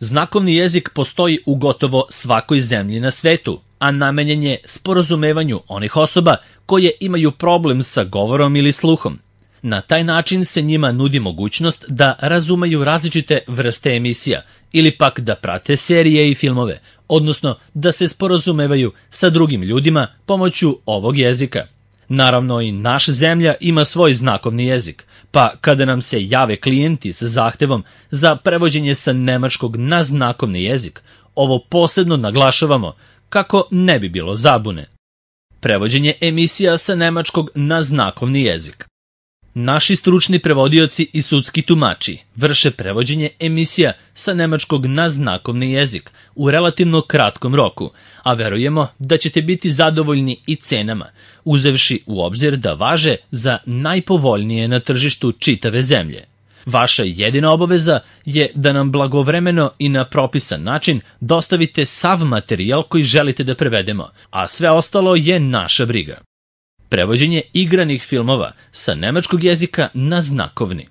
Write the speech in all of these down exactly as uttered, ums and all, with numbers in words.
Znakovni jezik postoji u gotovo svakoj zemlji na svetu, a namenjen je sporazumevanju onih osoba koje imaju problem sa govorom ili sluhom. Na taj način se njima nudi mogućnost da razumeju različite vrste emisija ili pak da prate serije i filmove, odnosno da se sporazumevaju sa drugim ljudima pomoću ovog jezika. Naravno, i naša zemlja ima svoj znakovni jezik, pa kada nam se jave klijenti sa zahtevom za prevođenje sa nemačkog na znakovni jezik, ovo posebno naglašavamo kako ne bi bilo zabune. Prevođenje emisija sa nemačkog na znakovni jezik. Naši stručni prevodioci i sudski tumači vrše prevođenje emisija sa nemačkog na znakovni jezik u relativno kratkom roku, a verujemo da ćete biti zadovoljni i cenama, uzevši u obzir da važe za najpovoljnije na tržištu čitave zemlje. Vaša jedina obaveza je da nam blagovremeno i na propisan način dostavite sav materijal koji želite da prevedemo, a sve ostalo je naša briga. Prevođenje igranih filmova sa nemačkog jezika na znakovni.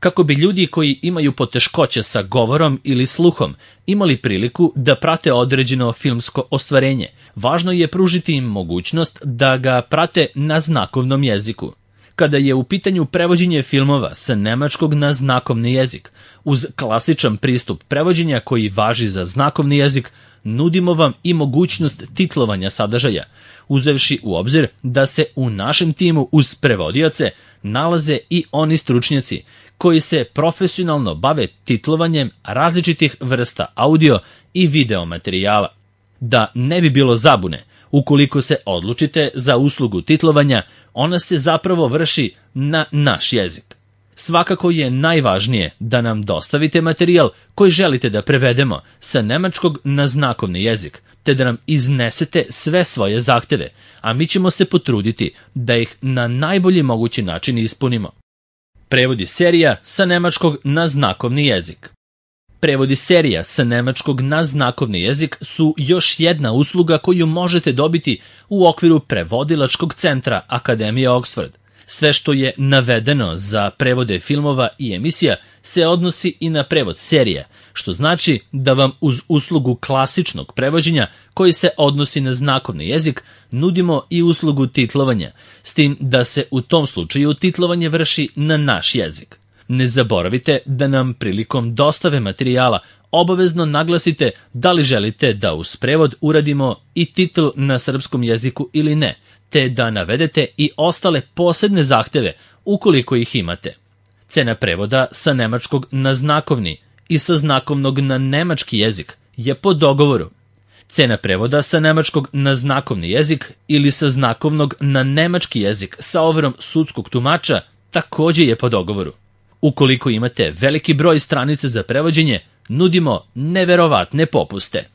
Kako bi ljudi koji imaju poteškoće sa govorom ili sluhom imali priliku da prate određeno filmsko ostvarenje, važno je pružiti im mogućnost da ga prate na znakovnom jeziku. Kada je u pitanju prevođenje filmova sa nemačkog na znakovni jezik, uz klasičan pristup prevođenja koji važi za znakovni jezik, nudimo vam i mogućnost titlovanja sadržaja, uzevši u obzir da se u našem timu uz prevodioce nalaze i oni stručnjaci koji se profesionalno bave titlovanjem različitih vrsta audio i video materijala. Da ne bi bilo zabune, ukoliko se odlučite za uslugu titlovanja, ona se zapravo vrši na naš jezik. Svakako je najvažnije da nam dostavite materijal koji želite da prevedemo sa nemačkog na znakovni jezik, te da nam iznesete sve svoje zahteve, a mi ćemo se potruditi da ih na najbolji mogući način ispunimo. Prevodi serija sa nemačkog na znakovni jezik. Prevodi serija sa nemačkog na znakovni jezik su još jedna usluga koju možete dobiti u okviru prevodilačkog centra Akademije Oxford. Sve što je navedeno za prevode filmova i emisija se odnosi i na prevod serija, što znači da vam uz uslugu klasičnog prevođenja koji se odnosi na znakovni jezik nudimo i uslugu titlovanja, s tim da se u tom slučaju titlovanje vrši na naš jezik. Ne zaboravite da nam prilikom dostave materijala obavezno naglasite da li želite da uz prevod uradimo i titl na srpskom jeziku ili ne, te da navedete i ostale posebne zahteve ukoliko ih imate. Cena prevoda sa nemačkog na znakovni i sa znakovnog na nemački jezik je po dogovoru. Cena prevoda sa nemačkog na znakovni jezik ili sa znakovnog na nemački jezik sa overom sudskog tumača takođe je po dogovoru. Ukoliko imate veliki broj stranica za prevođenje, nudimo neverovatne popuste.